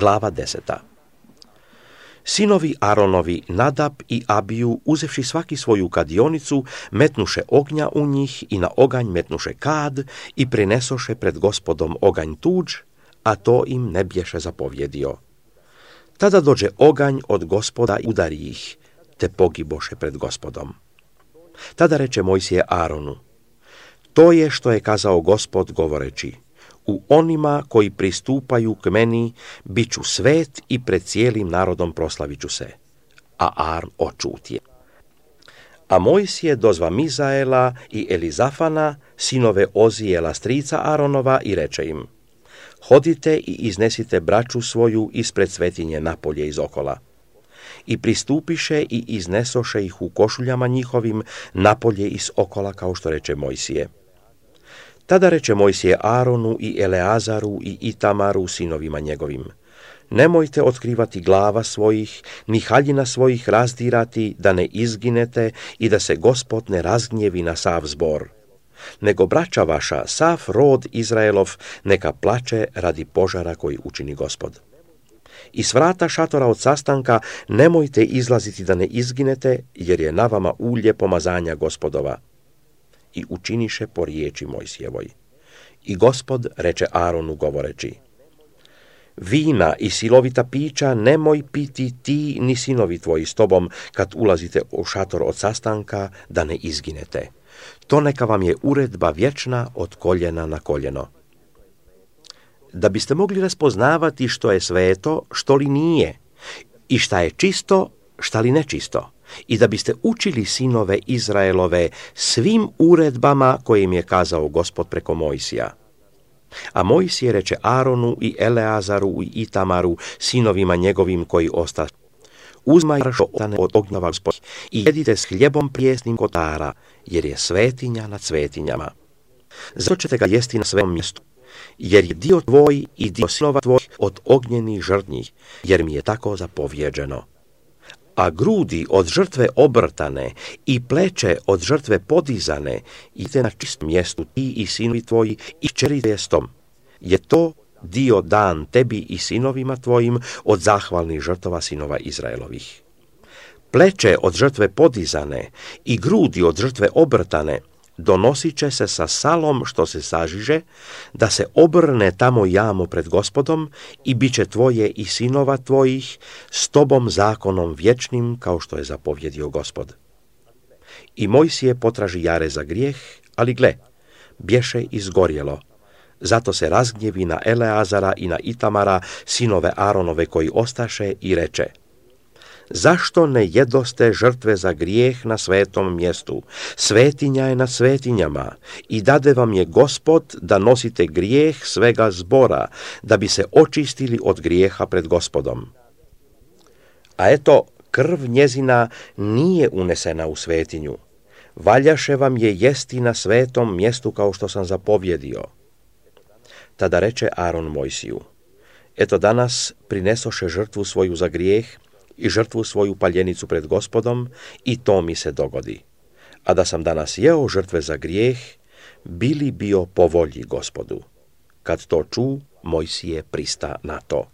Glava 10. Sinovi Aronovi Nadab i Abiju, uzevši svaki svoju kadionicu, metnuše ognja u njih i na oganj metnuše kad i prinesoše pred Gospodom oganj tuđ, a to im ne bješe zapovjedio. Tada dođe oganj od Gospoda i udari ih, te pogiboše pred Gospodom. Tada reče Mojsije Aronu: to je što je kazao Gospod govoreći: u onima koji pristupaju k meni bit ću svet i pred cijelim narodom proslavit ću se. A Aron očutje. A Mojsije dozva Mizaela i Elizafana, sinove Ozijela strica Aronova, i reče im: hodite i iznesite braću svoju ispred svetinje napolje iz okola. I pristupiše i iznesoše ih u košuljama njihovim napolje iz okola, kao što reče Mojsije. Tada reče Mojsije Aronu i Eleazaru i Itamaru, sinovima njegovim: nemojte otkrivati glava svojih, ni haljina svojih razdirati, da ne izginete i da se Gospod ne razgnjevi na sav zbor. Nego braća vaša, sav rod Izraelov, neka plače radi požara koji učini Gospod. I s vrata šatora od sastanka nemojte izlaziti da ne izginete, jer je na vama ulje pomazanja Gospodova. I učiniše po riječi Mojsijevoj. I Gospod reče Aronu govoreći: vina i silovita pića nemoj piti ti ni sinovi tvoji s tobom kad ulazite u šator od sastanka, da ne izginete. To neka vam je uredba vječna od koljena na koljeno. Da biste mogli raspoznavati što je sveto, što li nije, i šta je čisto, šta li nečisto, i da biste učili sinove Izraelove svim uredbama koje im je kazao Gospod preko Mojsija. A Mojsije reče Aronu i Eleazaru i Itamaru, sinovima njegovim koji osta: uzmaj što ostane od ognjava Gospod i jedite s hljebom prijesnim kotara, jer je svetinja nad svetinjama. Zato ćete ga jesti na svom mjestu, jer je dio tvoj i dio sinova tvoj od ognjenih žrtnji, jer mi je tako zapovjeđeno. A grudi od žrtve obrtane i pleće od žrtve podizane idete na čistom mjestu ti i sinovi tvoji i kćeri tijestom. Je to dio dan tebi i sinovima tvojim od zahvalnih žrtova sinova Izraelovih. Pleće od žrtve podizane i grudi od žrtve obrtane donosit će se sa salom što se sažiže, da se obrne tamo jamo pred Gospodom, i bit će tvoje i sinova tvojih s tobom zakonom vječnim, kao što je zapovjedio Gospod. I Mojsije potraži jare za grijeh, ali gle, bješe izgorjelo. Zato se razgnjevi na Eleazara i na Itamara, sinove Aronove koji ostaše, i reče: zašto ne jedoste žrtve za grijeh na svetom mjestu? Svetinja je nad svetinjama i dade vam je Gospod da nosite grijeh svega zbora, da bi se očistili od grijeha pred Gospodom. A eto, krv njezina nije unesena u svetinju. Valjaše vam je jesti na svetom mjestu, kao što sam zapovjedio. Tada reče Aron Mojsiju: eto, danas prinesoše žrtvu svoju za grijeh i žrtvu svoju paljenicu pred Gospodom, i to mi se dogodi. A da sam danas jeo žrtve za grijeh, bili bio po volji Gospodu. Kad to ču, Mojsije prista na to.